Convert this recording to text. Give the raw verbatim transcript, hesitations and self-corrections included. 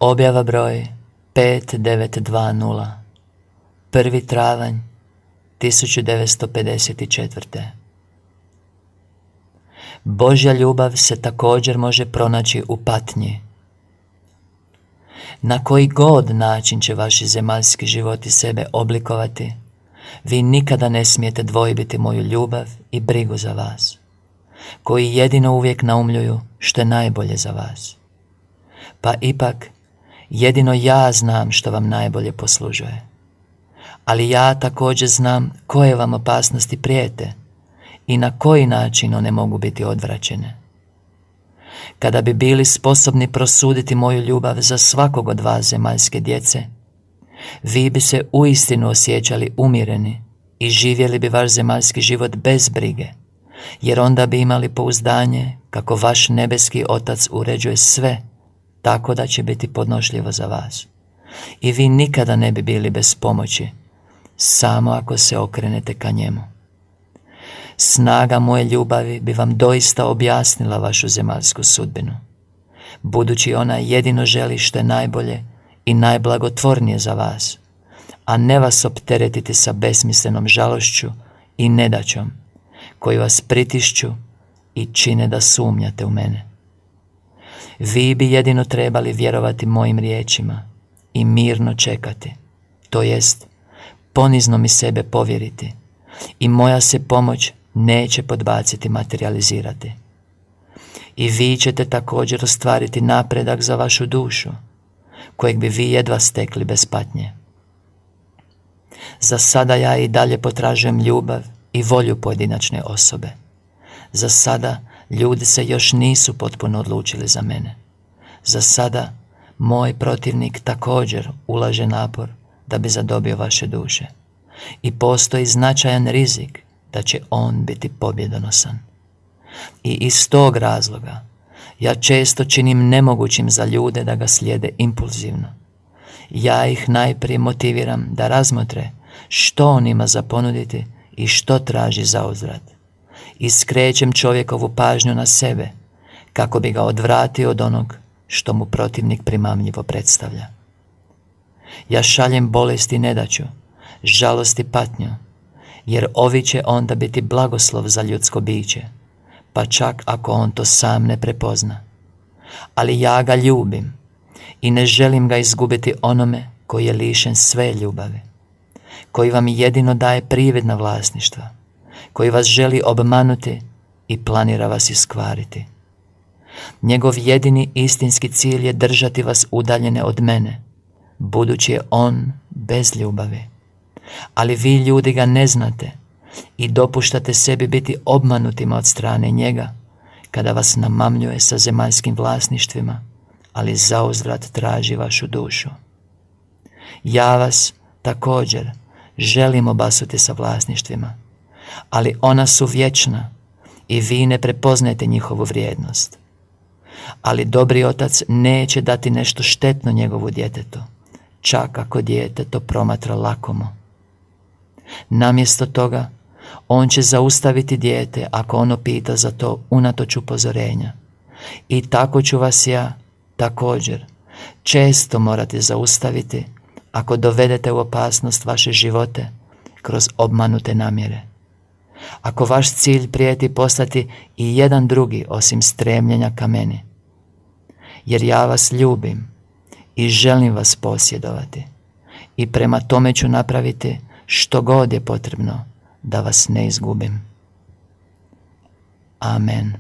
Objava broj pet devet dva nula, prvi travanj tisuću devetsto pedeset četvrte. Božja ljubav se također može pronaći u patnji. Na koji god način će vaši zemaljski životi sebe oblikovati, vi nikada ne smijete dvojbiti moju ljubav i brigu za vas, koji jedino uvijek naumljuju što je najbolje za vas. Pa ipak, jedino ja znam što vam najbolje poslužuje. Ali ja također znam koje vam opasnosti prijete i na koji način one mogu biti odvraćene. Kada bi bili sposobni prosuditi moju ljubav za svakog od vas zemaljske djece, vi bi se uistinu osjećali umireni i živjeli bi vaš zemaljski život bez brige, jer onda bi imali pouzdanje kako vaš nebeski Otac uređuje sve tako da će biti podnošljivo za vas. I vi nikada ne bi bili bez pomoći, samo ako se okrenete ka njemu. Snaga moje ljubavi bi vam doista objasnila vašu zemaljsku sudbinu, budući ona jedino želi što je najbolje i najblagotvornije za vas, a ne vas opteretiti sa besmislenom žalošću i nedaćom, koji vas pritišću i čine da sumnjate u mene. Vi bi jedino trebali vjerovati mojim riječima i mirno čekati, to jest ponizno mi sebe povjeriti, i moja se pomoć neće podbaciti materializirati. I vi ćete također ostvariti napredak za vašu dušu, kojeg bi vi jedva stekli bez patnje. Za sada ja i dalje potražujem ljubav i volju pojedinačne osobe. Za sada ljudi se još nisu potpuno odlučili za mene. Za sada moj protivnik također ulaže napor da bi zadobio vaše duše. I postoji značajan rizik da će on biti pobjedonosan. I iz tog razloga ja često činim nemogućim za ljude da ga slijede impulzivno. Ja ih najprije motiviram da razmotre što on ima za ponuditi i što traži za uzvrat. I skrećem čovjekovu pažnju na sebe kako bi ga odvratio od onog što mu protivnik primamljivo predstavlja. Ja šaljem bolest i nedaću, žalost i patnju, jer ovi će onda biti blagoslov za ljudsko biće, pa čak ako on to sam ne prepozna. Ali ja ga ljubim i ne želim ga izgubiti onome koji je lišen sve ljubavi, koji vam jedino daje prividna vlasništva, koji vas želi obmanuti i planira vas iskvariti. Njegov jedini istinski cilj je držati vas udaljene od mene, budući je on bez ljubavi. Ali vi ljudi ga ne znate i dopuštate sebi biti obmanutima od strane njega kada vas namamljuje sa zemaljskim vlasništvima, ali zauzvrat traži vašu dušu. Ja vas također želim obasuti sa vlasništvima, ali ona su vječna i vi ne prepoznajete njihovu vrijednost. Ali dobri Otac neće dati nešto štetno njegovu djetetu, čak ako dijete to promatra lakomo. Namjesto toga, on će zaustaviti dijete ako ono pita za to unatoč upozorenja. I tako ću vas ja također često morati zaustaviti ako dovedete u opasnost vaše živote kroz obmanute namjere. Ako vaš cilj prijeti postati i jedan drugi osim stremljenja ka meni. Jer ja vas ljubim i želim vas posjedovati i prema tome ću napraviti što god je potrebno da vas ne izgubim. Amen.